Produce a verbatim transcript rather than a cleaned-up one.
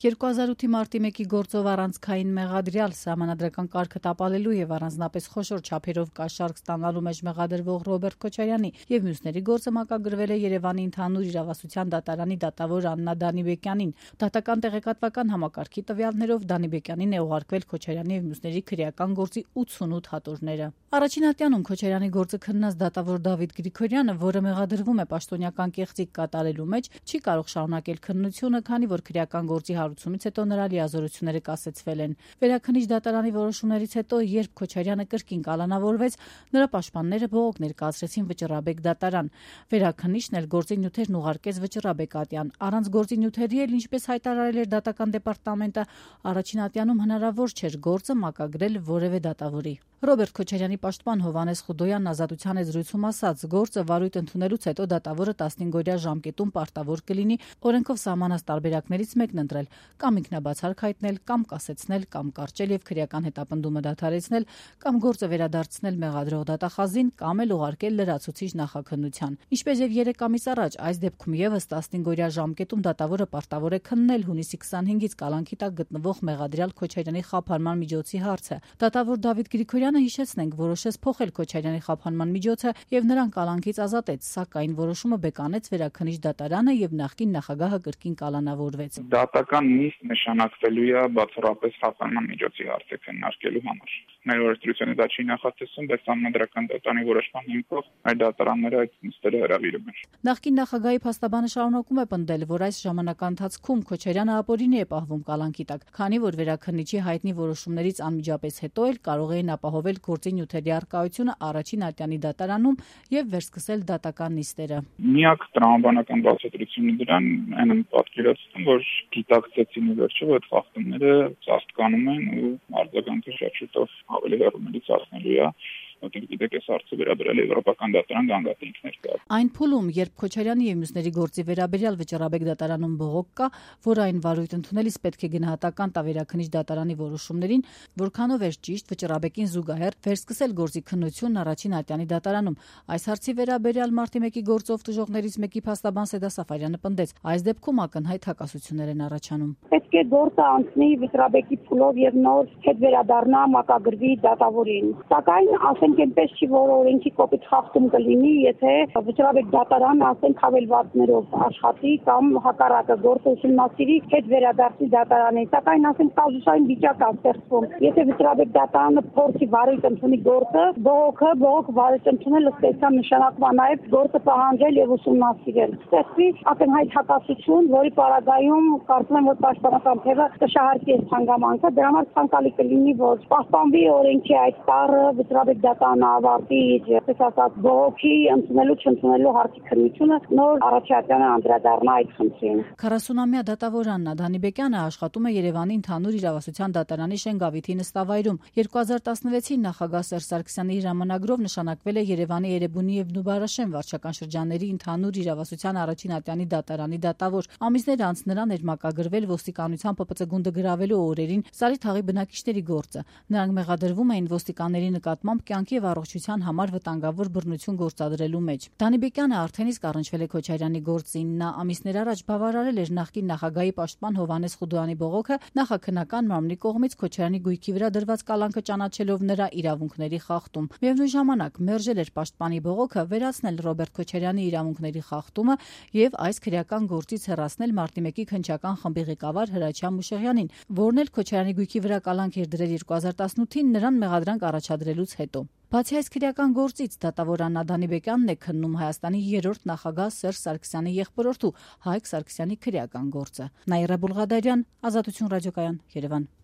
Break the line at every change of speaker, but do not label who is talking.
երկու հազար ութի մարտի մեկի գործով առանցքային մեղադրյալ սահմանադրական կարգը տապալելու եւ առանձնապես խոշոր չափերով կաշառք ստանալու մեջ մեղադրվող Ռոբերտ Քոչարյանի եւ մյուսների գործը մակագրվել է Երևանի ընդհանուր իրավասության դատարանի դատավոր Աննա Դանիբեկյանին։ Դատական տեղեկատվական համակարգի տվյալներով Դանիբեկյանին է ուղարկվել Քոչարյանի եւ մյուսների քրեական գործի ութսունութ հատորները։ Առաջին ատյանում Քոչարյանի գործը քննած դատավոր Դավիթ Գրիգորյանը, որը մեղադրվում է պաշտոնյական կեղծիք կատարելու մեջ, չի կարող շարունակել քննությունը, քանի որ քրեական գործի հարուցումից հետո նրա լիազորությունները կասեցվել են։ Վերաքննիչ դատարանի որոշումներից հետո, երբ Քոչարյանը կրկին կալանավորվեց, նրա պաշտպանները բողոք ներկայացրեցին Վճռաբեկ դատարան։ Վերաքննիչն էլ գործի նյութերն ուղարկեց Վճռաբեկ ատյան։ Առանց գործի նյութերի էլ, ինչպես հայտարարել էր դատական դեպարտամենտը, առաջին ատյանում հնարավոր չէր գործը մակագրել որևէ դատավորի։ Ռոբերտ Քոչարյանի պաշտպան Հովհաննես Խուդոյանն Ազատության եզրույցում ասաց, գործը վարույթ ընդունելուց հետո դատավորը տասնհինգ-օրյա ժամկետում պարտավոր կլինի օրենքով սահմանած տարբերակներից մեկն ընտրել, կամ ինքնաբացարկ հայտնել, կամ կասեցնել, կամ կարճել եւ քրեական հետապնդումը դադարեցնել, կամ գործը վերադարձնել մեղադրող դատախազին, կամ էլ ուղարկել լրացուցիչ նախաքննության։ Ինչպես եւ երեք ամիս առաջ, այս դեպքում եւս տասնհինգ-օրյա ժամկետում դատավորը պարտավոր է քննել հունիսի քսանհինգից կալանքի տակ գտնվող մեղադրյալ Քոչարյանի խափանման միջոցի հարցը։ Դատավոր Դավիթ Գրիգորյանը, հիշեցնենք, որոշեց փոխել Քոչարյանի խափանման միջոցը եւ նրան կալանքից ազատեց, սակայն որոշումը բեկանեց Վերաքննիչ դատարանը եւ նախկին նախագահը կրկին կալանավորվեց։
Դատական նիստ նշանակվելու է բացառապես խափանման միջոցի հարցը քննարկելու համար։ Մեր օրենսդրությունը դա չի նախատեսում, բայց համանդրական դատարանի որոշման հիմքով այդ դատարանները այդ նիստերը հրավիրում են։
Նախկին նախագահի փաստաբանը շարունակում է պնդել, որ այս ժամանակահատվածում Քոչարյանը ապօրինի է պահվում կալանքի տակ, քանի որ Վերաքննիչի հայտնի որոշումներից անմիջապես հետո էլ կարող էին ապահովել գործի նյութերի առկայությունը առաջին ատյանի դատարանում եւ վերսկսել դատական նիստերը։
Միակ տրամաբանական բացատրությունը դրան այն է պատկերացնում, որ գիտակցեցին վերջը, որ այդ խախտումները ծածկանում են ու արձագանքը շատ շուտով ավելի հեռումից հասնելու է։ Որտեղ գիտեք, այս հարցը վերաբերել է Եվրոպական դատարան գանգատենքներ կա։
Այն փուլում, երբ Քոչարյանի եւ մյուսների գործի վերաբերյալ Վճռաբեկ դատարանում բողոք կա, որ այն վարույթ ընդունելիս պետք է գնահատական տա Վերաքննիչ դատարանի որոշումներին, որքանով էր ճիշտ Վճռաբեկին զուգահեռ վերսկսել գործի քննությունն առաջին ատյանի դատարանում։ Այս հարցի վերաբերյալ մարտի մեկի գործով տուժողներից մեկի փաստաբան Սեդա Սաֆարյանը պնդեց, այս դեպքում ակնհայտ հակասություններ են առաջանում։
Պետք է գործը անցնի Վճռաբեկի փուլով եւ նոր հետ վերադառնա մակագրվի դատավորին։ Սակայն ասենք այնպես չի, որ օրենքի կոպիտ խախտում կլինի, եթե Վճռաբեկ դատարանը ասենք հավելվածներով աշխատի կամ հակառակը գործը ուսումնասիրի հետ վերադարձի դատարանին։ Սակայն ասենք կազուսային վիճակ է ստեղծվում։ Եթե Վճռաբեկ դատարանը փորձի վարույթ ընդունի գործը, բողոքը բողոք վարույթ ընդունել ըստ էության նշանակում է նաեւ գործը պահանջել եւ ուսումնասիրել։ Ստեղծվի ակնհայտ հակասություն, որի պարագայում կարծում եմ, որ պաշտպանական թևը կշահարկի այս հանգամանքը, դրա համար ցանկալի կլինի, որ պահպանվի օրենքի այդ տառը, Վճռաբեկ դատարանը ավարտի իր, այսպես ասած, բողոքի ընդունելու չընդունելու հարցի քննությունը, նոր առաջատյանը անդրադառնա այդ խնդրին։
քառասունամյա դատավոր Աննա Դանիբեկյանը աշխատում է Երևանի ընդհանուր իրավասության դատարանի Շենգավիթի նստավայրում։ երկու հազար տասնվեցին նախագահ Սերժ Սարգսյանի հրամանագրով նշանակվել է Երևանի Էրեբունի եւ Նուբարաշեն վարչական շրջանների ընդհանուր իրավասության առաջին ատյանի դատարանի դատավոր։ Ամիսներ անց նրան էր մակագրվել ոստիկանության Պ Պ Ծ գունդը գրավելու օրերին Սարի թաղի բնակիչների գործը։ Նրանք մեղադրվում էին ոստիկանների նկատմամբ կյանքի եւ առողջության համար վտանգավոր բռնություն գործադրելու մեջ։ Դանիբեկյանը արդեն իսկ առնչվել է Քոչարյանի գործին։ Նա ամիսներ առաջ բավարարել էր նախկին նախագահի պաշտպան Հովհաննես Խուդոյանի բողոքը նախաքննական մարմնի կողմից Քոչարյանի գույքի վրա դրված կալանքը ճանաչելով նրա իրավունքների խախտում։ Միևնույն ժամանակ մերժել էր պաշտպանի բողոքը վերացնել Ռոբերտ Քոչարյանի իրավունքների խախտումը եւ այս քրեական գործից հեռացնել մարտի մեկի քննչական խմբի ղեկավար Հրաչյա Մուշեղյանին, որն էլ Քոչարյանի գույքի վրա կալանք էր դրել երկու հազար տասնութին նրան մեղադրանք առաջադրելուց հետո։ Բացի այս քրեական գործից, դատավոր Աննա Դանիբեկյանն է քննում Հայաստանի երրորդ նախագահ Սերժ Սարգսյանի եղբորորդու Հայկ Սարգսյանի քրեական գործը։ Նաիրա Բուլղադարյան, Ազատություն ռադիոկայան, Երևան։